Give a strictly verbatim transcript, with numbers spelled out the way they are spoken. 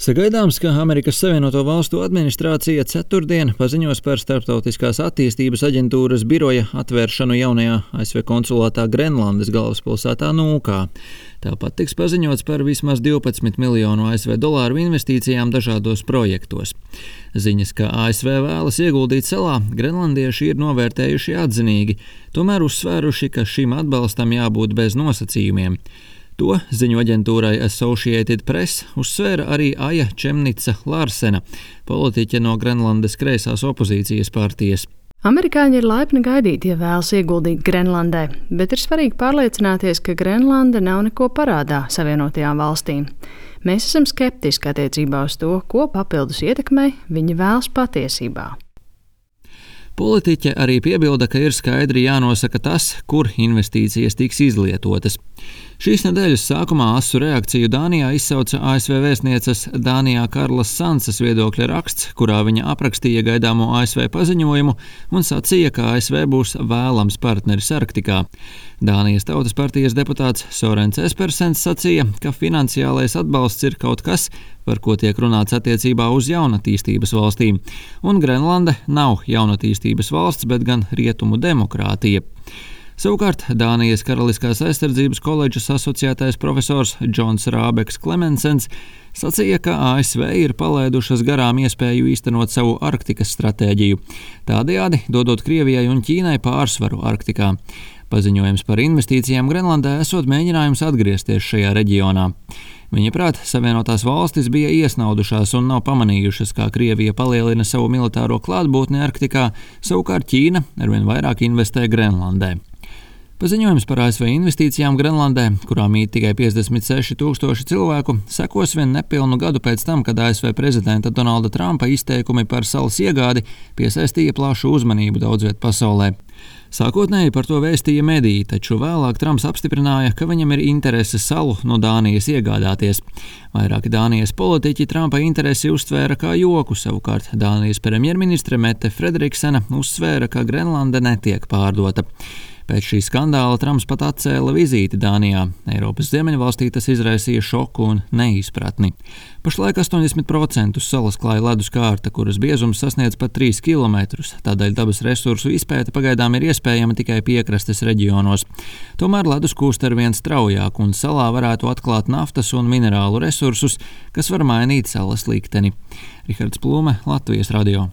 Sagaidāms, ka Amerikas Savienoto Valstu administrācija ceturtdien paziņos par Starptautiskās attīstības aģentūras biroja atvēršanu jaunajā A S V konsulātā Grenlandes galvaspilsētā Nūkā. Tāpat tiks paziņots par vismaz divpadsmit miljonu A S V dolāru investīcijām dažādos projektos. Ziņas, ka A S V vēlas ieguldīt salā, grenlandieši ir novērtējuši atzinīgi, tomēr uzsvēruši, ka šim atbalstam jābūt bez nosacījumiem. To ziņu aģentūrai Associated Press uzsvēra arī Aja Čemnica Larsena, politiķe no Grenlandes kreisās opozīcijas partijas. Amerikāņi ir laipni gaidīti, ja vēlas ieguldīt Grenlandē, bet ir svarīgi pārliecināties, ka Grenlanda nav neko parādā Savienotajām valstīm. Mēs esam skeptiski attiecībā uz to, ko papildus ietekmei viņi vēlas patiesībā. Politiķe arī piebilda, ka ir skaidri jānosaka tas, kur investīcijas tiks izlietotas. Šīs nedēļas sākumā asu reakciju Dānijā izsauca A S V vēstnieces Dānijā Karlas Sansas viedokļa raksts, kurā viņa aprakstīja gaidāmo A S V paziņojumu un sacīja, ka A S V būs vēlams partneris Arktikā. Dānijas Tautas partijas deputāts Sorens Espersens sacīja, ka finansiālais atbalsts ir kaut kas, par ko tiek runāts attiecībā uz jaunatīstības valstīm, un Grenlande nav jaunatīstības valsts, bet gan rietumu demokrātija. Savukārt Dānijas Karaliskās aizsardzības koledžas asociētais profesors Džons Rābeks Klemensens sacīja, ka A S V ir palaidušas garām iespēju īstenot savu Arktikas stratēģiju, tādējādi dodot Krievijai un Ķīnai pārsvaru Arktikā. Paziņojums par investīcijām Grenlandē esot mēģinājums atgriezties šajā reģionā. Viņaprāt, Savienotās valstis bija iesnaudušās un nav pamanījušas, kā Krievija palielina savu militāro klātbūtni Arktikā, savukārt Ķīna arvien vairāk investē Grenlandē. Paziņojums par A S V investīcijām Grenlandē, kurā mīt tikai piecdesmit seši tūkstoši cilvēku, sekos vien nepilnu gadu pēc tam, kad A S V prezidenta Donalda Trumpa izteikumi par salas iegādi piesaistīja plašu uzmanību daudzviet pasaulē. Sākotnēji par to vēstīja mediji, taču vēlāk Trumps apstiprināja, ka viņam ir interese salu no Dānijas iegādāties. Vairāki Dānijas politiķi Trumpa interesi uztvēra kā joku, savukārt Dānijas premjerministre Mette Frederiksena uzsvēra, ka Grenlande netiek pārdota. Pēc šī skandāla Trumps pat atcēla vizīti Dānijā. Eiropas ziemeļvalstī tas izraisīja šoku un neizpratni. Pašlaik astoņdesmit procenti salas klāja ledus kārta, kuras biezums sasniedz pat trīs kilometrus, tādēļ dabas resursu izpēte pagaidām ir iespējama tikai piekrastes reģionos. Tomēr ledus kūst arvien straujāk un salā varētu atklāt naftas un minerālu resursus, kas var mainīt salas likteni. Rihards Plūme, Latvijas radio.